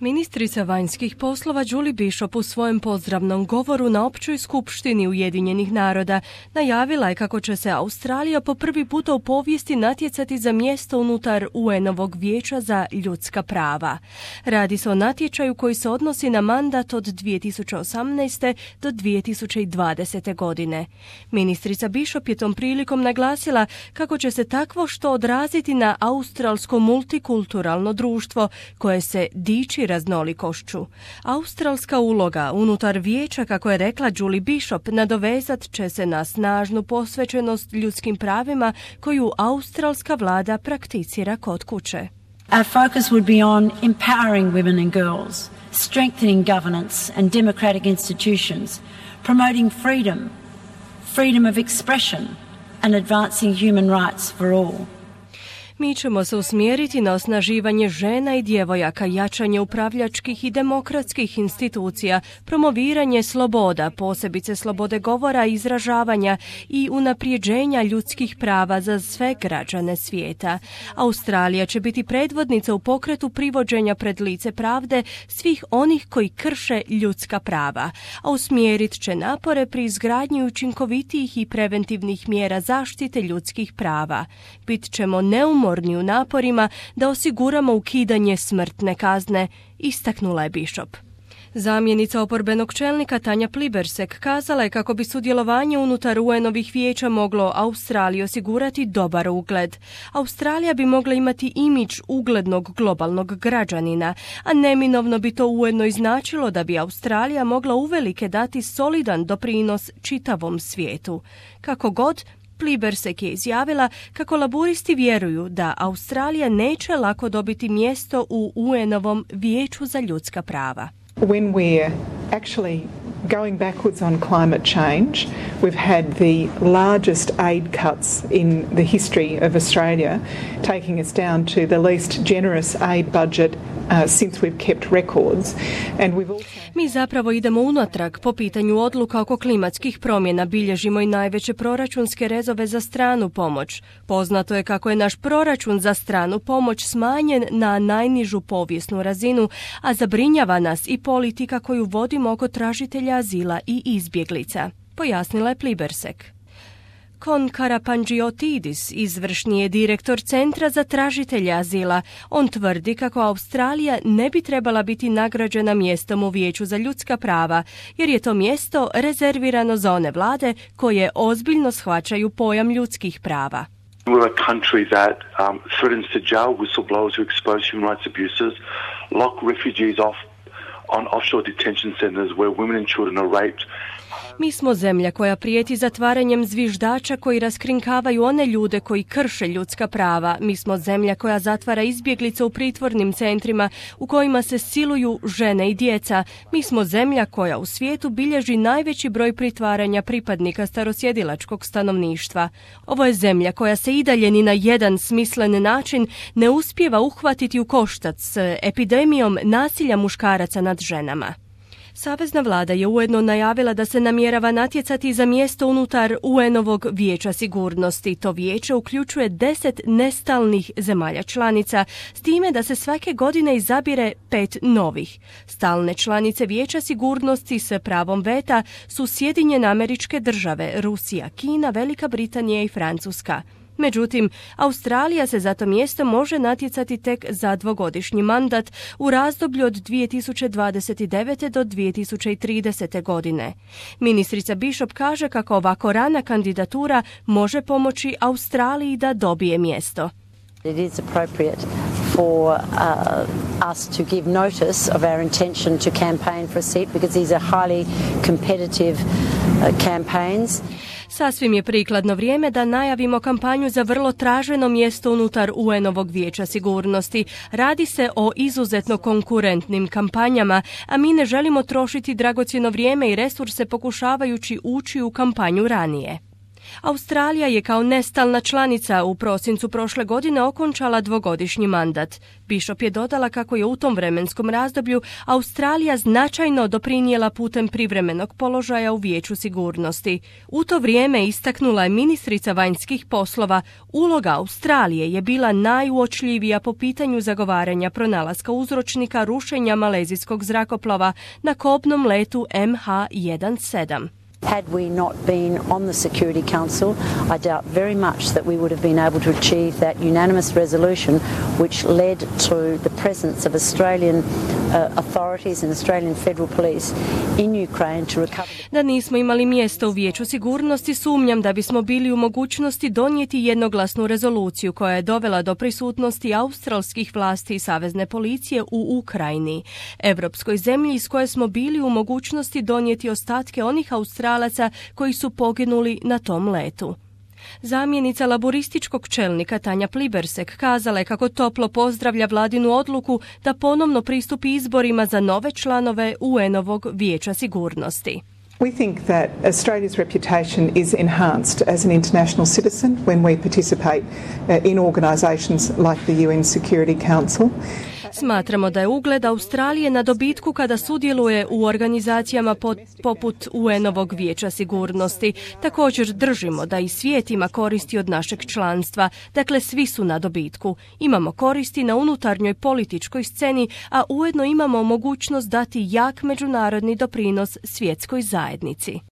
Ministrica vanjskih poslova Julie Bishop u svojem pozdravnom govoru na općoj skupštini Ujedinjenih naroda najavila je kako će se Australija po prvi puta u povijesti natjecati za mjesto unutar UN-ovog vijeća za ljudska prava. Radi se o natječaju koji se odnosi na mandat od 2018. do 2020. godine. Ministrica Bishop je tom prilikom naglasila kako će se takvo što odraziti na australsko multikulturalno društvo koje se diči raznolikošću. Australska uloga unutar vijeća, kako je rekla Julie Bishop, nadovezat će se na snažnu posvećenost ljudskim pravima koju australska vlada prakticira kod kuće. Our focus would be on empowering women and girls, strengthening governance and democratic institutions, promoting freedom of expression and advancing human rights for all. Mi ćemo se usmjeriti na osnaživanje žena i djevojaka, jačanje upravljačkih i demokratskih institucija, promoviranje sloboda, posebice slobode govora i izražavanja i unaprijeđenja ljudskih prava za sve građane svijeta. Australija će biti predvodnica u pokretu privođenja pred lice pravde svih onih koji krše ljudska prava, a usmjerit će napore pri izgradnji učinkovitijih i preventivnih mjera zaštite ljudskih prava. Bit ćemo neumorni u naporima da osiguramo ukidanje smrtne kazne, istaknula je Bishop. Zamjenica oporbenog čelnika Tanja Plibersek kazala je kako bi sudjelovanje unutar UN-ovih vijeća moglo Australiji osigurati dobar ugled. Australija bi mogla imati imidž uglednog globalnog građanina, a neminovno bi to ujedno i značilo da bi Australija mogla uvelike dati solidan doprinos čitavom svijetu. Kako god, Plibersek je izjavila kako laburisti vjeruju da Australija neće lako dobiti mjesto u UN-ovom vijeću za ljudska prava. When we're actually going backwards on climate change, we've had the largest aid cuts in the history of Australia, taking us down to the least generous aid budget since we've kept records. And we've also... Mi zapravo idemo unatrag po pitanju odluka oko klimatskih promjena, bilježimo i najveće proračunske rezove za stranu pomoć. Poznato je kako je naš proračun za stranu pomoć smanjen na najnižu povijesnu razinu, a zabrinjava nas i politika koju vodimo oko tražitelja azila i izbjeglica, pojasnila je Plibersek. Kon Karapangiotidis izvršni je direktor Centra za tražitelje azila. On tvrdi kako Australija ne bi trebala biti nagrađena mjestom u Vijeću za ljudska prava, jer je to mjesto rezervirano za one vlade koje ozbiljno shvaćaju pojam ljudskih prava. We're a country that threatens to jail whistleblowers who expose human rights abuses, lock refugees off on offshore detention centers where women and children are raped. Mi smo zemlja koja prijeti zatvaranjem zviždača koji raskrinkavaju one ljude koji krše ljudska prava. Mi smo zemlja koja zatvara izbjeglice u pritvornim centrima u kojima se siluju žene i djeca. Mi smo zemlja koja u svijetu bilježi najveći broj pritvaranja pripadnika starosjedilačkog stanovništva. Ovo je zemlja koja se i dalje ni na jedan smislen način ne uspijeva uhvatiti u koštac s epidemijom nasilja muškaraca nad ženama. Savezna vlada je ujedno najavila da se namjerava natjecati za mjesto unutar UN-ovog vijeća sigurnosti. To vijeće uključuje 10 nestalnih zemalja članica, s time da se svake godine izabire 5 novih. Stalne članice vijeća sigurnosti s pravom veta su Sjedinjene Američke Države, Rusija, Kina, Velika Britanija i Francuska. Međutim, Australija se za to mjesto može natjecati tek za dvogodišnji mandat u razdoblju od 2029. do 2030. godine. Ministrica Bishop kaže kako ovako rana kandidatura može pomoći Australiji da dobije mjesto. It is appropriate for us to give notice of our intention to campaign for a seat because these are highly competitive campaigns. Sasvim je prikladno vrijeme da najavimo kampanju za vrlo traženo mjesto unutar UN-ovog vijeća sigurnosti. Radi se o izuzetno konkurentnim kampanjama, a mi ne želimo trošiti dragocjeno vrijeme i resurse pokušavajući ući u kampanju ranije. Australija je kao nestalna članica u prosincu prošle godine okončala dvogodišnji mandat. Bishop je dodala kako je u tom vremenskom razdoblju Australija značajno doprinijela putem privremenog položaja u Vijeću sigurnosti. U to vrijeme istaknula je ministrica vanjskih poslova, uloga Australije je bila najuočljivija po pitanju zagovaranja pronalaska uzročnika rušenja malezijskog zrakoplova na kobnom letu MH17. Had we not been on the Security Council, I doubt very much that we would have been able to achieve that unanimous resolution which led to the presence of Australian authorities and Australian Federal Police in Ukraine to recover. Da nismo imali mjesto u Vijeću sigurnosti, sumnjam da bismo bili u mogućnosti donijeti jednoglasnu rezoluciju koja je dovela do prisutnosti australskih vlasti i savezne policije u Ukrajini, evropskoj zemlji iz koje smo bili u mogućnosti donijeti ostatke onih Australaca koji su poginuli na tom letu. Zamjenica laborističkog čelnika Tanja Plibersek kazala je kako toplo pozdravlja vladinu odluku da ponovno pristupi izborima za nove članove UN-ovog Vijeća sigurnosti. We think that Australia's reputation is enhanced as an international citizen when we participate in organisations like the UN Security Council. Smatramo da je ugled Australije na dobitku kada sudjeluje u organizacijama poput UN-ovog Vijeća sigurnosti. Također držimo da i svijet ima koristi od našeg članstva, dakle svi su na dobitku. Imamo koristi na unutarnjoj političkoj sceni, a ujedno imamo mogućnost dati jak međunarodni doprinos svjetskoj zajednici.